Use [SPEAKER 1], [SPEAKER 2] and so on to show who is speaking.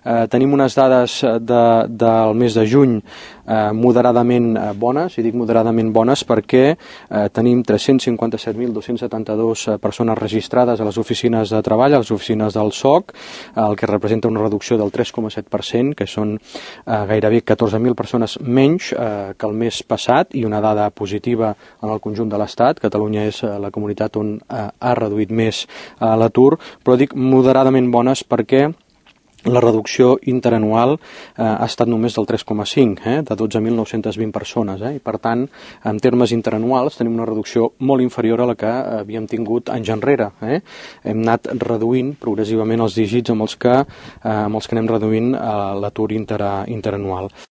[SPEAKER 1] Tenim unes dades del mes de juny moderadament bones, i dic moderadament bones perquè tenim 357.272 persones registrades a les oficines de treball, a les oficines del SOC, el que representa una reducció del 3,7%, que són gairebé 14.000 persones menys que el mes passat, i una dada positiva en el conjunt de l'Estat. Catalunya és la comunitat on ha reduït més l'atur, però dic moderadament bones perquè la reducció interanual ha estat només del 3,5, de 12.920 persones, i per tant, en termes interanuals, tenim una reducció molt inferior a la que havíem tingut anys enrere. Hem anat reduint progressivament els dígits amb els que anem reduint l'atur interanual.